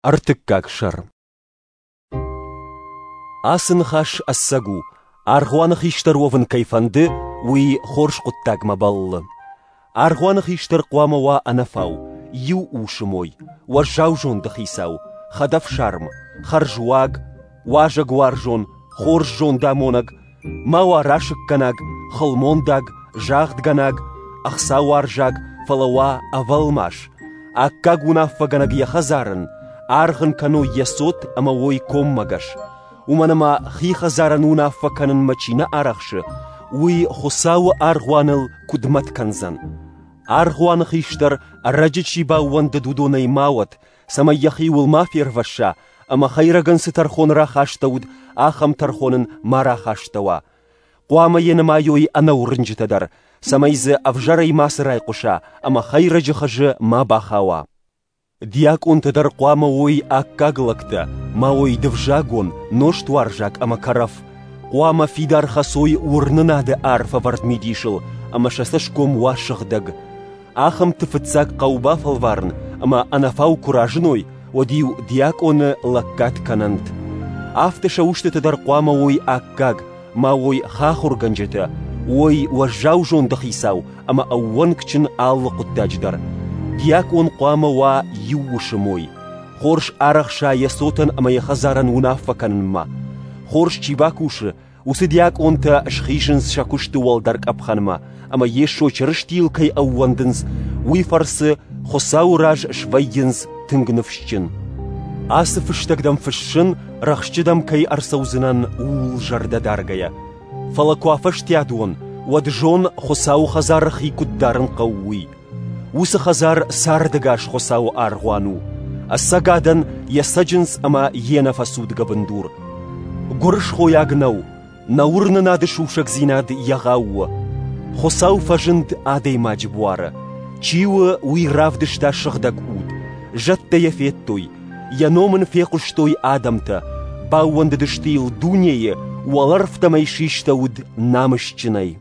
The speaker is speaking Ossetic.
Ӕртыккаг сӕр. Ацы ныхас ӕцӕг у, аргъуаны хистӕр уӕвын кӕй фӕнды, уый хорз хъуыддагмӕ бӕллы. Аргъуаны хистӕр хъуамӕ уа ӕнӕфау, иу усы мой, уӕззау зонды хицау, хӕдӕфсарм, хӕрзуаг, уазӕгуарзон, хорз зондамонӕг, ма уа расыггӕнаг, хылмондаг, загъдгӕнаг, ӕхцауарзаг, фӕлӕ уа ӕвӕлмас, аккаг уынаффӕгӕнӕг йӕ хӕдзарӕн, аргъ ын кӕной йӕ цот ӕмӕ уой коммӕгӕс. Уымӕн ӕмӕ хи хӕдзарӕн уынаффӕ кӕнынмӕ чи нӕ арӕхсы, уый Хуыцауы аргъуаныл куыд мӕт кӕндзӕн? Аргъуаны хистӕр ӕрӕджы чи баууӕндыд, уыдонӕй ма уӕд, цӕмӕй йӕхиуыл ма фервӕсса ӕмӕ хӕйрӕгӕн цы тӕрхон рахастӕуыд, ахӕм тӕрхон ын ма рахастӕуа. Хъуамӕ йӕ нымайой ӕнӕуырнджытӕ дӕр, цӕмӕй дзы ӕвзӕрӕй мацы райхъуыса ӕмӕ хӕйрӕджы хызы ма бахауа. Диакъонтӕ дӕр хъуамӕ уой аккаг лӕгтӕ, ма уой дывзагон, нозтуарзаг ӕмӕ кӕрӕф. Хъуамӕ фидар хӕцой уырнынады арфӕвӕрд мидисыл ӕмӕ сӕ цӕсгом уа сыгъдӕг. Ахӕмты фыццаг хъӕуы бафӕлварын ӕмӕ ӕнӕфау куы разыной, уӕд-иу диакъоны лӕггад кӕнӕнт. Афтӕ сӕ устытӕ дӕр хъуамӕ уой аккаг, ма уой хахуыргӕнджытӕ, уой уӕззау зонды хицау ӕмӕ ӕууӕнкджын алы хъуыддаджы дӕр. Диакъон хъуамӕ уа иу усы мой, хорз арӕхса йӕ цотӕн ӕмӕ йӕ хӕдзарӕн уынаффӕ кӕнынмӕ. Хорз чи бакусы, уыцы диакъонтӕ схизынц сӕ куысты уӕлдӕр къӕпхӕнмӕ ӕмӕ Йесо Чырыстийыл кӕй ӕууӕндынц, уый фӕрцы Хуыцауы раз свӕййынц тынг ныфсджын. Ацы фыстӕг дӕм фыссын, рӕхджы дӕм кӕй ӕрцӕудзынӕн, ууыл зӕрдӕ даргӕйӕ. Фӕлӕ куы афӕстиат уон, уӕд зон, Хуыцауы хӕдзары хи куыд дарын хъӕуы, уый. Уыцы хӕдзар цардӕгас Хуыцауы аргъуан у, ӕцӕгадӕн йӕ цӕджындз ӕмӕ йе нӕфӕцудгӕ бындур. Гуырысхойаг нӕу, нӕ уырнынады сусӕгдзинад егъау у. Хуыцау фӕзынд адӕймаджы буары. Чи у, уый равдыста сыгъдӕг уд. Зӕдтӕ йӕ федтой, йӕ ном ын фехъуыстой адӕмтӕ, баууӕндыдысты йыл дунейы, уӕлӕрвтӕм ӕй систӕуыд намысджынӕй.